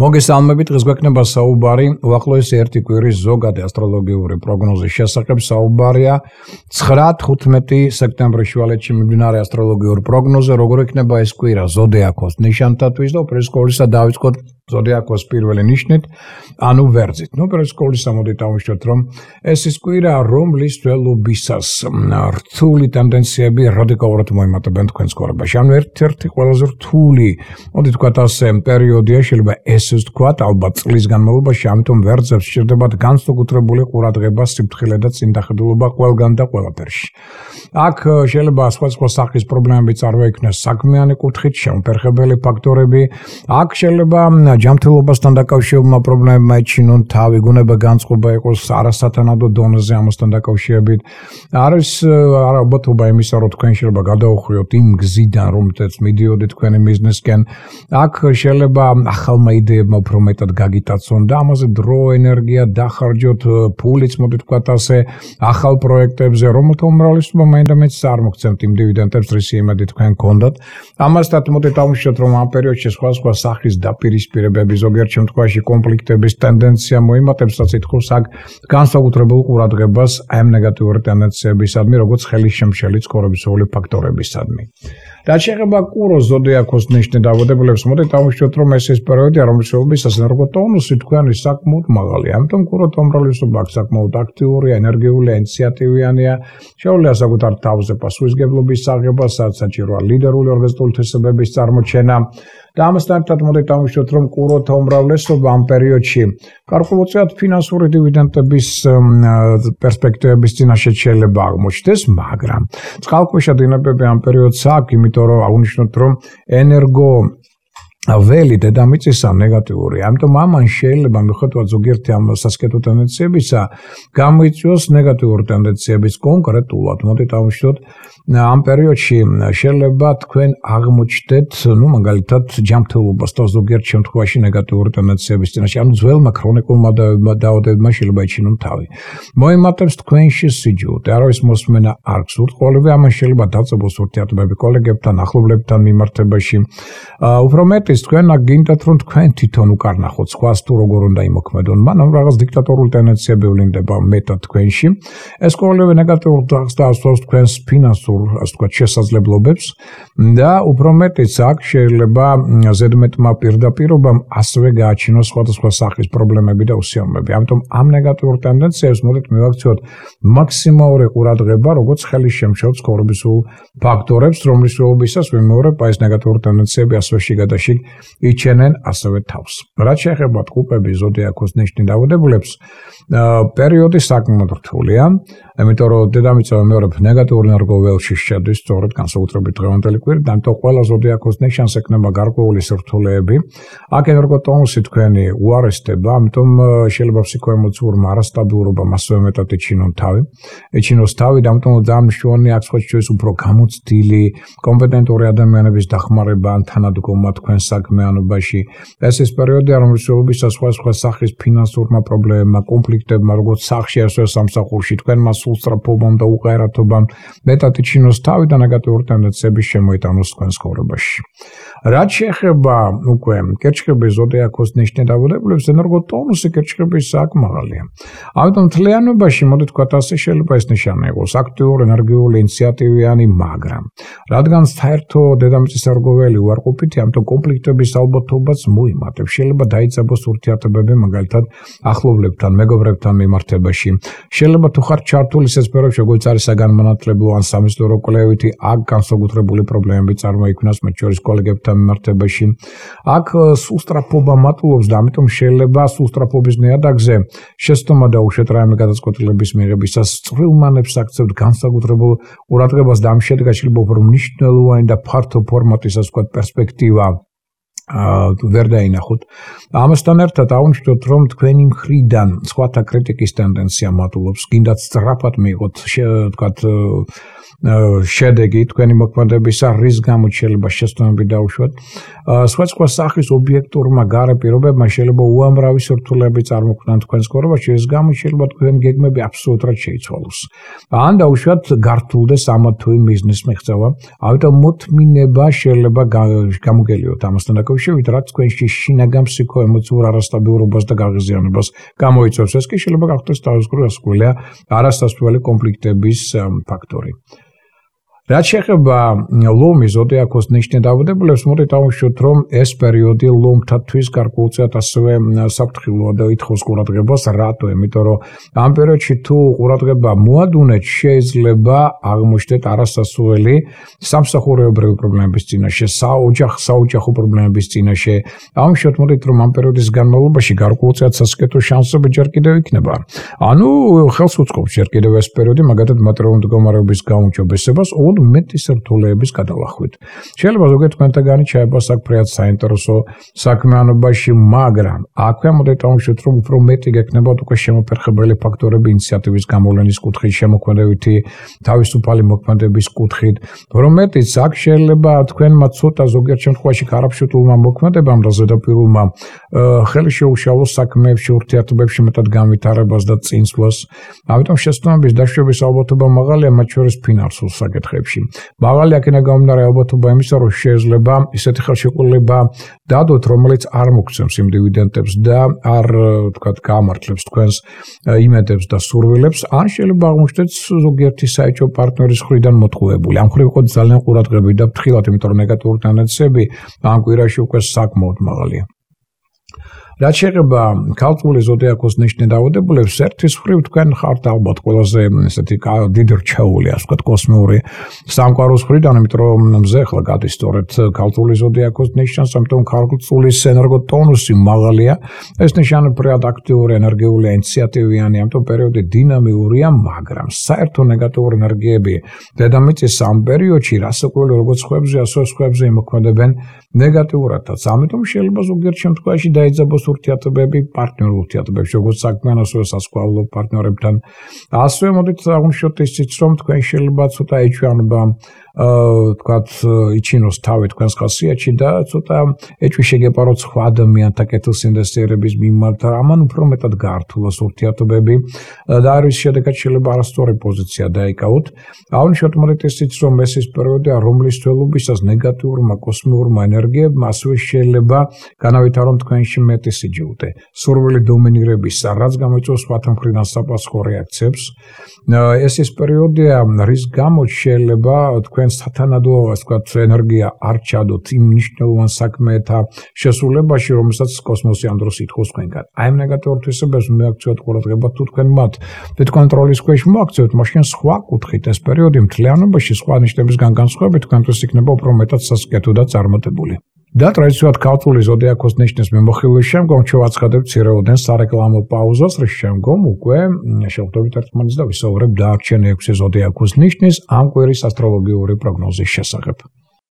მოგესალმებით, დღეს გვექნება საუბარი უახლოესი ერთი კვირის ზოგადი ასტროლოგიური პროგნოზის შესახებ. საუბარია 9-15 სექტემბრის შუალედში მიმდინარე ასტროლოგიურ პროგნოზე, როგორ იქნება ეს კვირა ზოდიაქოს ნიშანთათვის და უპირველეს ყოვლისა დავიწყოთ ზოდიაქოს პირველი ნიშნით, ანუ ვერძით. უპირველეს ყოვლისა მოდით დავუშვათ, რომ ეს ის კვირა, რომლის ველობისას რთული ტენდენციები რადიკალურად მოიმატებენ თქვენს ცხოვრებაში. ანუ ერთ-ერთი ყველაზე რთული, მოდით ვთქვათ ასე, პერიოდია შეიძლება ესე ვთქვათ, ალბათ წლის განმავლობაში, ამიტომ ვერძებს სჭირდებათ განსაკუთრებული ყურადღება, სიფრთხილე და წინდახედულობა ყველგან და ყველაფერში. აქ შეიძლება სხვადასხვა სახის პრობლემები წარმოიქმნეს საქმიანი კუთხით, შემფერხებელი ფაქტორები, აქ შეიძლება ჯანმრთელობასთან დაკავშირებულმა პრობლემებმა ეჩინონ თავი, გუნება განწყობა იყოს არასათანადო დონეზე ამასთან დაკავშირებით. არის ალბათობა იმისა, რომ თქვენ შეიძლება გადაუხვიოთ იმ გზიდან, რომელზეც მიდიოდით თქვენი ბიზნესკენ. აქ შეიძლება ახალმა იდეებმა უფრო მეტად გაგიტაცონ და ამაზე დრო, ენერგია დახარჯოთ, ფულიც მოდით ვთქვათ ასე, ახალ პროექტებზე, რომელთა უმრავლესობა მაინდა-მაინც არ მოგცემთ იმ დივიდენდებს, რისი იმედი თქვენ გქონდათ. ამასთან მოდით დავუშვათ, რომ ამ პერიოდში სხვადასხვა სახის დაპირისპირებები, ზოგიერთ შემთხვევაში კონფლიქტების ტენდენცია მოიმატებს, რაც ითხოვს აქ განსაკუთრებულ ყურადღებას ამ ნეგატიური ტენდენციებისადმი, როგორც ხელისშემშელი ცხოვრებისეული ფაქტორებისადმი. რაც შეეხება კუროს ზოდიაქოს ნიშნით დაბადებულებს, მოდით დავუშვათ, რომ ეს პერიოდია, რომლის შენობისას ენერგოტონუსი თქვენი საკმაოდ მაღალია. ამიტომ კუროთა უმრავლესობა საკმაოდ აქტიურია, ენერგიულია, ინიციატივიანია, შეუძლია საკუთარ თავზე პასუხისმგებლობის აღება, საჭიროა ლიდერული ორგანიზებული თვისებების წარმოჩენა. და ამასთან ერთად მოდით დავუშვათ, რომ კუროთა უმრავლესობა ამ პერიოდში გარკვეულწილად ფინანსური დივიდენდების პერსპექტივების წინაშე შეიძლება აღმოჩნდეს, მაგრამ წყალქვეშა დინებები ამ პერიოდს აქვს, იმიტომ რომ აღნიშნოთ, რომ ენერგო ველი დედამიწისა ნეგატიური. ამიტომ ამან შეიძლება მიუხედავად ზოგიერთი ამ სასკეთო ტენდენციებისა გამოიწვიოს ნეგატიური ტენდენციების კონკრეტულად. მოდით დავუშვათ, ამ პერიოდში შეიძლება თქვენ აღმოჩნდეთ, მაგალითად, ჯანმრთელობას და ზოგიერთ შემთხვევაში ნეგატიური ტენდენციების წინაშე, ანუ ძველმა ქრონიკულმა დაავადებებმა შეიძლება ეჩინონ თავი. მოიმატებს თქვენში სიჯულტე, არავის მოსმენა არ გსურთ, ყოველივე ამან შეიძლება დაწყებოს ურთიერთობები კოლეგებთან, ახლობლებთან მიმართებაში. უფრო მეტი თქვენ გინდათ, რომ თქვენ თვითონ უკარნახოთ სხვას თუ როგორ უნდა იმოქმედონ, მანამ რაღაც დიქტატორული ტენდენციები ვლინდება მეტად თქვენში. ეს ყოველივე ნეგატიურ დახს და ასვავს თქვენს ფინანსურ, ასე ვთქვათ, შესაძლებლობებს და უფრო მეტიც აქ შეიძლება ზედმეტმა პირდაპირობამ ასევე გააჩინოს სხვადასხვა სახის პრობლემები და უსიამოვნებები. ამიტომ ამ ნეგატიურ ტენდენციებს მოდით მივაქციოთ მაქსიმალური ყურადღება, როგორც ხელისშემშელ ცხოვრებისულ ფაქტორებს, რომლის შენობისას ვიმეორებ, ეს ნეგატიური ტენდენციები ასევე შიგადაშიგ იჩენენ ასევე თავს. რაც შეეხება ტყუპების ზოდიაქოს ნიშნით დაავადებულებს, პერიოდი საკმაოდ რთულია, იმიტომ რომ დედამიწა ვიმეორებ ნეგატიურ ენერგოველში შედის, სწორედ განსაკუთრებით დღევანდელი კვირით, ამიტომ ყველა ზოდიაქოს ნიშანს ექნება გარკვეული სირთულეები. აქ ენერგოტონუსი თქვენი უარესდება, ამიტომ შეიძლება ფსიქოემოციურმა არასტაბილურობამ ასევე მეტად ეჩინოს თავი, და ამიტომ ძალიან მნიშვნელოვანია აქ სხვათა უფრო გამოცდილი, კომპეტენტური ადამიანების დახმარება ან თანადგომა თქვენ საქმიანობაში. ეს ის პერიოდია, რომლის შენობისას სხვადასხვა სახის ფინანსურმა პრობლემებმა, კონფლიქტებმა, როგორც სახში, ასევე სამსახურში, თქვენმა სულსწრაფობამ და უყარათობამ მეტად იჩინოს თავი და ნეგატიური ტენდენციები შემოიტანოს თქვენს ცხოვრებაში. რაც შეეხება უკვე კერჩხების ზოდიაქოს ნიშნით დაავადებულებს, ენერგოტონუსი კერჩხების აქ მაღალია. ამიტომ მთლიანობაში, მოდით ვთქვათ ასე, შეიძლება ეს ნიშანი იყოს აქტიური, ენერგიული, ინიციატივიანი, მაგრამ რადგან საერთო დედამიწის ენერგოველი უარყოფითია, ამიტომ კონფლიქტების ალბათობაც მოიმატებს. შეიძლება დაიწყოს ურთიერთობები, მაგალითად, ახლობლებთან, მეგობრებთან მიმართებაში. შეიძლება თუ ხართ ჩართული ისეთ სფეროებში, როგორც არის საგანმანათლებლო ან სამეცნიერო კვლევითი, აქ განსაკუთრებული პრობლემები წარმოიქმნას მათ შორის კოლეგებთან მიმართებაში. აქ სუსტრაფობა მატულობს და ამიტომ შეიძლება სუსტრაფობის ნიადაგზე შეცდომა დაუშვათ რაიმე გადაწყვეტილების მიღებისას წვრილმანებს აქცევთ განსაკუთრებულ ყურადღებას და ამ შედეგად შეიძლება უფრო მნიშვნელოვანი და ფართო ფორმატის, ასე ვთქვათ, პერსპექტივა ვერ დაინახოთ. ამასთან ერთად აღნიშნოთ, რომ თქვენი მხრიდან სხვათა კრიტიკის ტენდენცია მატულობს, გინდათ სწრაფად მიიღოთ, ვთქვათ, შედეგი თქვენი მოქმედებისა, რის გამოც შეიძლება შეცდომები დაუშვათ. სხვადასხვა სახის ობიექტურმა გარე პირობებმა შეიძლება უამრავი სირთულეები წარმოქმნან თქვენს ცხოვრებაში, რის გამოც შეიძლება თქვენი გეგმები აბსოლუტურად შეიცვალოს. ან დაუშვათ გართულდეს ამა თუ იმ ბიზნეს მიღწევა. ამიტომ მოთმინება შეიძლება გამოგელიოთ ამასთან დაკავშირებით, რაც თქვენში შინაგან ფსიქოემოციურ არასტაბილურობას და გაღიზიანებას გამოიწვევს. ეს კი შეიძლება გახდეს თავისუფლად ასკვლელია არასასწრაფო კონფლიქტების ფაქტორი. რაც შეეხება ლომის ზოდიაქოს ნიშნით დაავადებულებს, მოდით დავუშვათ, რომ ეს პერიოდი ლომთათვის გარკვეულწილად ასევე საფრთხილოა და ითხოვს ყურადღებას. რატო? იმიტომ რომ ამ პერიოდში თუ ყურადღება მოადუნეთ, შეიძლება აღმოჩნდეთ არასასურველი სამსახურეობრივი პრობლემების წინაშე, საოჯახო პრობლემების წინაშე. დავუშვათ, მოდით რომ ამ პერიოდის განმავლობაში გარკვეულწილად სასიკეთო შანსები ჯერ კიდევ იქნება. ანუ ხელს უწყობს ჯერ კიდევ ეს პერიოდი, მაგალითად მატერიალური მდგომარეობის გაუმჯობესებას, მეტი სირთულეების გადალახვით. შეიძლება ზოგიერთ თქვენთაგანი ჩაება საკფრიად საინტერესო საქმიანობაში, მაგრამ აქვე მოდით დავუშვათ, რომ უფრო მეტი გექნება უკვე შემოფერხებელი ფაქტორები ინიციატივის გამოვლენის კუთხით, შემოქმედებითი თავისუფალი მოქმედების კუთხით, რომ მეტიც აქ შეიძლება თქვენმა ცოტა ზოგიერთ შემთხვევაში ქარაფშუტულმა მოქმედებამ და ზედაპირულმა ხელი შეუშალოს საქმეებში, ურთიერთობებში მეტად განვითარებას და წინსვლას. ამიტომ შეცდომების დაშვების ალბათობა მაღალია, მათ შორის ფინანსურ საკითხებში. მაღალი აქედან გამომდინარე ალბათობა იმისა, რომ შეიძლება ისეთი ხელშეკრულება დადოთ, რომელიც არ მოგცემს იმ დივიდენდებს და არ თქვათ გაამართლებს თქვენს იმედებს და სურვილებს, ან შეიძლება აღმოჩნდეთ ზოგიერთი საეჭვო პარტნიორის მხრიდან მოტყუებული. ამ მხრივ იყოს ძალიან ყურადღებით და ფრთხილად, იმიტომ რომ ნეგატიური ტენდენციები ამ კვირაში უკვე საკმაოდ მაღალია. რაც შეეხება ქალწული ზოდიაქოს ნიშნით დაავადებულებს, ერთის მხრივ თქვენ ხართ ალბათ ყველაზე ესეთი დიდი რჩეული, ასე ვთქვათ, კოსმიური სამყაროს მხრიდან, იმიტომ რომ მზე ახლა გადის სწორედ ქალწული ზოდიაქოს ნიშნავს, ამიტომ ქალწულის ენერგოტონუსი მაღალია, ეს ნიშანი ფრად აქტიური, ენერგიულია, ინიციატივიანი, ამიტომ პერიოდი დინამიურია, მაგრამ საერთო ნეგატიური ენერგიები დედამიწის ამ პერიოდში რასაკვირველია, როგორც სხვებზე, ასევე სხვებზე იმოქმედებენ ნეგატიურადაც. ამიტომ შეიძლება ზოგიერთ შემთხვევაში დაიძაბოს ურთიერთობები პარტნიორულ ურთიერთობებში, როგორც საქმიან, ასევე სასწავლო პარტნიორებთან. ასევე მოდით აღვნიშნოთ ისიც, რომ თქვენ შეიძლება ცოტა ეჭვიანობა თქვათ იჩინოს თავი თქვენს ხასიათში და ცოტა ეჭვი შეგეპაროთ სხვა ადამიანთა კეთილსინდესიერების მიმართ, ამან უფრო მეტად გაართულოს ურთიერთობები და არის შედეგად შეიძლება არასწორი პოზიცია დაიკავოთ. აღვნიშნოთ მოდით ისიც, რომ ეს ის პერიოდია, რომლის თველობისას ნეგატიურმა კოსმიურმა ენერგიებმა ასევე შეიძლება განავითარონ თქვენში მეტი სიჯულდე, სურვილი დომინირებისა, რაც გამოიწვევს სხვათა მხრიდან საპასუხო რეაქციებს. ეს ის პერიოდია, რის გამოც შეიძლება თქვენ სათანადო, ასე ვთქვათ, ენერგია არ ჩადოთ იმ მნიშვნელოვან საქმეთა შესრულებაში, რომელსაც კოსმოსი ამ დროს ითხოვს თქვენგან. აი ამ ნეგატიურ თვისებებს მიაქცევთ ყურადღება, თუ თქვენ მათ კონტროლის ქვეშ მოაქცევთ, მაშინ სხვა კუთხით ეს პერიოდი მთლიანობაში სხვა ნიშნებისგან განსხვავებით თქვენთვის იქნება უფრო მეტად სასიკეთო და წარმატებული. და ტრადიციულად ქალწული ზოდიაქოს ნიშნის მიმოხილვის შემდგომ შევაცხადებთ მცირეოდენ სარეკლამო პაუზას, რის შემდგომ უკვე შევხვდებით ერთმანეთს და ვისაუბრებთ დარჩენილი 6 ზოდიაქოს ნიშნის ამ კვირის ასტროლოგიური პროგნოზის შესახებ.